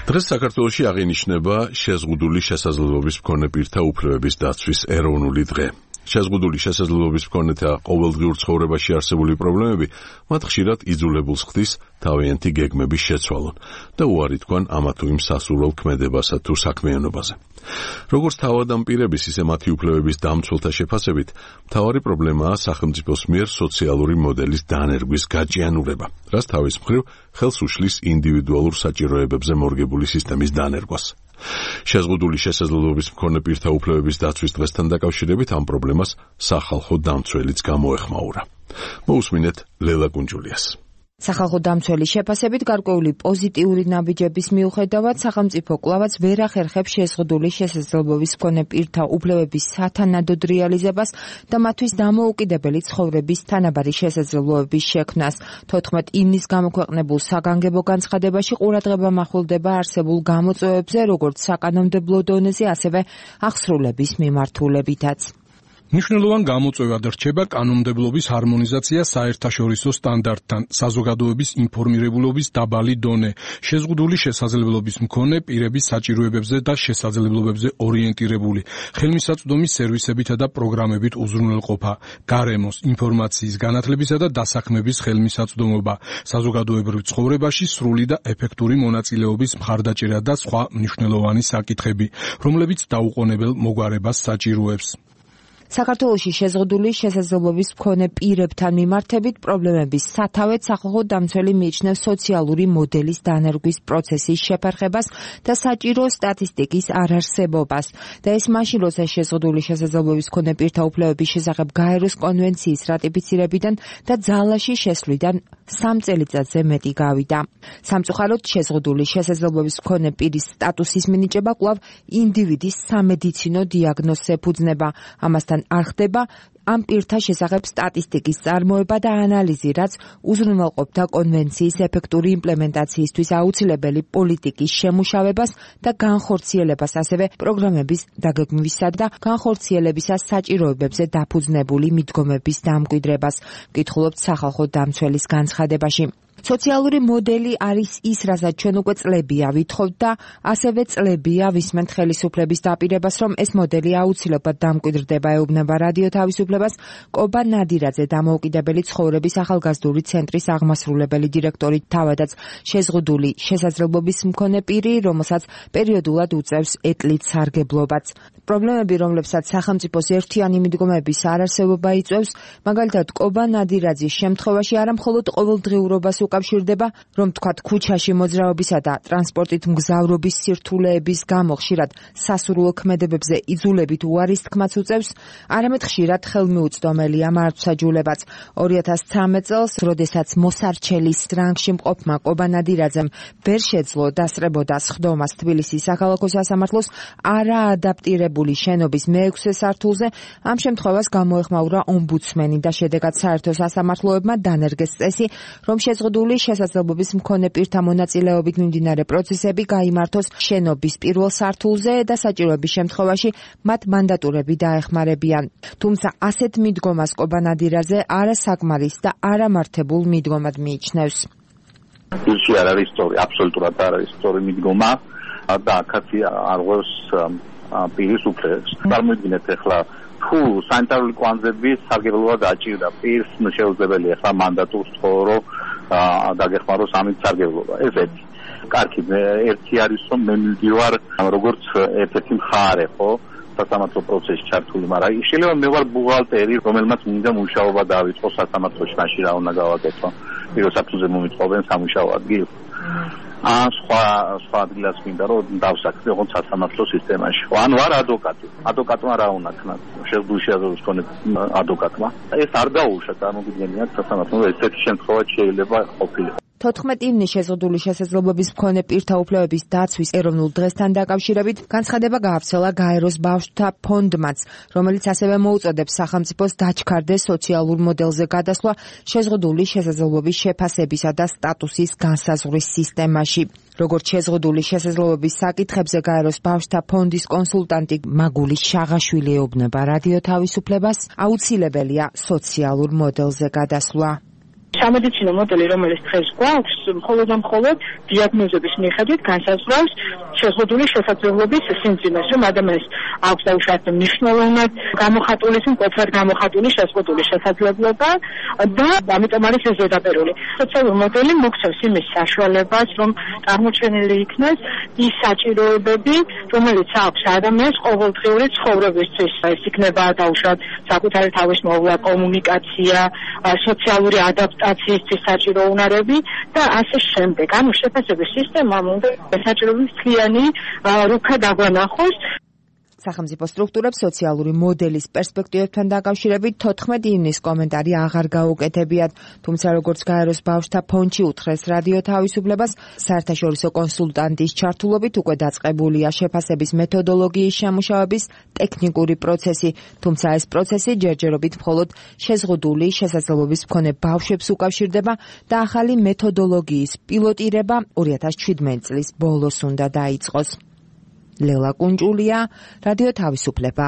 დღეს საქართველოში აღინიშნება შეზღუდული შესაძლებლობის მქონე პირთა უფლებების დაცვის ეროვნული დღე. შეზღუდული შესაძლებლობის მქონეთა ყოველდღიურ ცხოვრებაში არსებული პრობლემები მათ ხშირად იძულებულს ხდის თავიანთი გეგმების შეცვალონ და უარი თქვან ამა თუ იმ სასურველ ქმედებასა თუ საქმიანობაზე. როგორც თავადამპირების, ისე მათი უფლებების დამცველთა შეფასებით, მთავარი პრობლემაა სახელმწიფოს მიერ სოციალური მოდელის დანერგვის გაჭიანურება, რაც თავის მხრივ ხელს უშლის ინდივიდუალურ საჭიროებებზე მორგებული სისტემის დანერგვას. შეზღუდული შესაძლებლობის მქონე პირთა უფლებების დაცვის დღესთან დაკავშირებით ამ პრობლემას სახალხო დამცველიც გამოეხმაურა. მოусმინეთ ლელა კუნჯულიას. სახალხო დამცველის შეფასებით გარკვეული პოზიტიური ნაბიჯების მიუხედავად სახელმწიფო კვლავაც ვერ ახერხებს შეზღუდული შესაძლებლობის მქონე პირთა უფლებების სათანადოდ რეალიზებას და მათთვის დამოუკიდებელი ცხოვრების თანაბარი შესაძლებლობების შექმნას. 14 ივნის გამოქვეყნებულ საგანგებო განცხადებაში ყურადღება მახვილდება არსებულ გამოწვევებზე, როგორც საკანონმდებლო დონეზე, ასევე აღსრულების მიმართულებითაც. მნიშვნელოვან გამოწვევად რჩება კანონმდებლობის ჰარმონიზაცია საერთაშორისო სტანდარტთან, საზოგადოების ინფორმირებულობის დაბალი დონე, შეზღუდული შესაძლებლობის მქონე პირების საჭიროებებზე და შესაძლებლობებზე ორიენტირებული, ხელმისაწვდომის სერვისებითა და პროგრამებით უზრუნველყოფა, გარემოს, ინფორმაციის, განათლებისა და დასაქმების ხელმისაწვდომობა, საზოგადოებრივ ცხოვრებაში სრული და ეფექტური მონაწილეობის მხარდაჭერა და სხვა მნიშვნელოვანი საკითხები, რომლებიც დაუყოვნებელ მოგვარებას საჭიროებს. საქართველოში შეზღუდული შესაძლებლობის მქონე პირებთან მიმართებით პრობლემების სათავედ სახალხო დამცველი მიიჩნევს სოციალური მოდელის დანერგვის პროცესის შეფერხებას და საჭირო სტატისტიკის არარსებობას. და ეს მაშინ, როცა შეზღუდული შესაძლებლობის მქონე პირთა უფლებების შესახებ გაეროს კონვენციის რატიფიცირებიდან და ძალაში შესვლიდან 3 წელიწადზე მეტი გავიდა. სამწუხაროდ, შეზღუდული შესაძლებლობის მქონე პირის სტატუსის მინიჭება კვლავ ინდივიდის სამედიცინო დიაგნოზს ეფუძნება. ამასთან არ ხდება ამ პირთა შესახებ სტატისტიკის წარმოება და ანალიზი, რაც უზრუნველყოფდა კონვენციის ეფექტური იმპლემენტაციისთვის აუცილებელი პოლიტიკის შემუშავებას და განხორციელებას, ასევე პროგრამების დაგეგმვისა და განხორციელებისას საჭიროებებზე დაფუძნებული მიდგომების დამკვიდრებას, ვკითხულობთ სახალხო დამცველის განცხადებაში. სოციალური მოდელი არის ის, რასაც ჩვენ უკვე წლებია ვითხოვთ და ასევე წლებია ვისმენთ ხელისუფლების დაპირებას, რომ ეს მოდელი აუცილებლად დამკვიდრდება, ეუბნება რადიო თავისუფლებას კობა ნადირაძე, დამოუკიდებელი ცხოვრების ახალგაზრდული ცენტრის აღმასრულებელი დირექტორი, თავადაც შეზღუდული შესაძლებლობის მქონე პირი, რომელსაც პერიოდულად უწევს ეტლით სარგებლობაც. პრობლემები, რომლებსაც სახელმწიფოს ერთიანი მიდგომების არარსებობა იწვევს, მაგალითად კობა ნადირაძის შემთხვევაში არა მხოლოდ ყოველდღიურობას უკავშირდება, რომ თქვათ ქუჩაში მოძრაობისა და ტრანსპორტით მგზავრობის სირთულეების გამო ხშირად სასურველ ქმედებებზე იძულებით უარის თქმაც უწევს, არამედ ხშირად ხელმიუწვდომელია მართვსაჯულებაც. 2013 წელს, როდესაც მოსარჩელის რანგში მყოფმა კობა ნადირაძემ ვერ შეძლო დასწრებოდა სხდომას თბილისის საქალაქო სასამართლოს არაადაპტირებული შენობის მე-6 სართულზე, ამ შემთხვევას გამოეხმაურა ომბუდსმენი და შედეგად საერთო სასამართლოებმა დანერგეს წესი, რომ შეზღუდული შესაძლებლობის მქონე პირთა მონაწილეობით მიმდინარე პროცესები გაიმართოს შენობის პირველ სართულზე და საჭიროების შემთხვევაში მათ მანდატურები დაეხმარებიან. თუმცა ასეთ მიდგომას კობა ნადირაძე არასაკმარის და არამართებულ მიდგომად მიიჩნევს. ისე არ არის სწორი, აბსოლუტურად არ არის სწორი მიდგომა და აქაც არღვევს პირის უფლებს. წარმოიდგინეთ ახლა თუ სანიტარული კვანძების სარგებლობა დაჭირდა პირს, შეუძლებელია ახლა მანდატურს თხოვრო დაგეხმაროს ამით სარგებლობა. ეს ერთი. კარგი, ერთი არის რომ მე მივდივარ როგორც ერთ-ერთი მხარე, ხო? სასამართლო პროცესში ჩართული, მაგრამ შეიძლება მე ვარ ბუღალტერი, რომელმაც მინდა მუშაობა დავიწყო სასამართლოში, მაშინ რა უნდა გავაკეთო? პირველ საფუძზე მომიწოვენ სამუშაო ადგილს. სხვა ადგილას მინდა რომ დავსაქმე ოღონდ სასამართლო სისტემაში. ან ვარ ადვოკატი. ადვოკატმა რა უნდა ქნას? შეზღუდული შესაძლებლობის მქონე ადვოკატმა. ეს არ დაუშვა, წარმოგიდგენიათ სასამართლო, ესეთი შემთხვევა შეიძლება ყოფილიყო. 14 ივნის შეზღუდული შესაძლებლობის მქონე პირთა უფლებების დაცვის ეროვნულ დღესთან დაკავშირებით განცხადება გაავრცელა გაეროს ბავშვთა ფონდმაც, რომელიც ასევე მოუწოდებს სახელმწიფოს დაჩქარდეს სოციალურ მოდელზე გადასვლა შეზღუდული შესაძლებლობის შეფასებისა და სტატუსის განსაზღვრის სისტემაში. როგორც შეზღუდული შესაძლებლობის საკითხებზე გაეროს ბავშვთა ფონდის კონსულტანტი მაგული შაღაშვილი ეუბნება რადიო თავისუფლებას, აუცილებელია სოციალურ მოდელზე გადასვლა. სამედიცინო მოდელი, რომელიც დღეს გვაქვს, მხოლოდ დიაგნოზების მიხედვით განსაზღვრავს შეზღუდული შესაძლებლობის სიმძიმეს, რომ ადამიანს აქვს დაუშვათ მნიშვნელოვნად გამოხატული, მკვეთრად გამოხატული შეზღუდული შესაძლებლობა და ამიტომ არის ეს ზედაპირული. სოციალური მოდელი მოგცემს იმის საშუალებას, რომ წარმოჩენილი იქნას ის საჭიროებები, რომელიც აქვს ადამიანს ყოველდღიური ცხოვრებისთვის. ეს იქნება დაუშვათ საკუთარი თავის მოვლა, კომუნიკაცია, სოციალური ადაპტაციისთვის საჭირო უნარები და ასე შემდეგ. ანუ შეფასების სისტემამ უნდა საჭიროების მთლიანი რუქა დაგვანახოს. სახელმწიფო სტრუქტურებს სოციალური მოდელის პერსპექტივებთან დაკავშირებით 14 ივნის კომენტარი აღარ გაუკეთებიათ, თუმცა როგორც გაეროს ბავშვთა ფონდში უთხრეს რადიო თავისუფლებას, საერთაშორისო კონსულტანტის ჩართულობით უკვე დაწყებულია შეფასების მეთოდოლოგიის შემუშავების ტექნიკური პროცესი, თუმცა ეს პროცესი ჯერჯერობით მხოლოდ შეზღუდული შესაძლებლობის მქონე ბავშვებს უკავშირდება და ახალი მეთოდოლოგიის პილოტირება 2017 წლის ბოლოს უნდა დაიწყოს. ლელა კუნჭულია, რადიო თავისუფლება.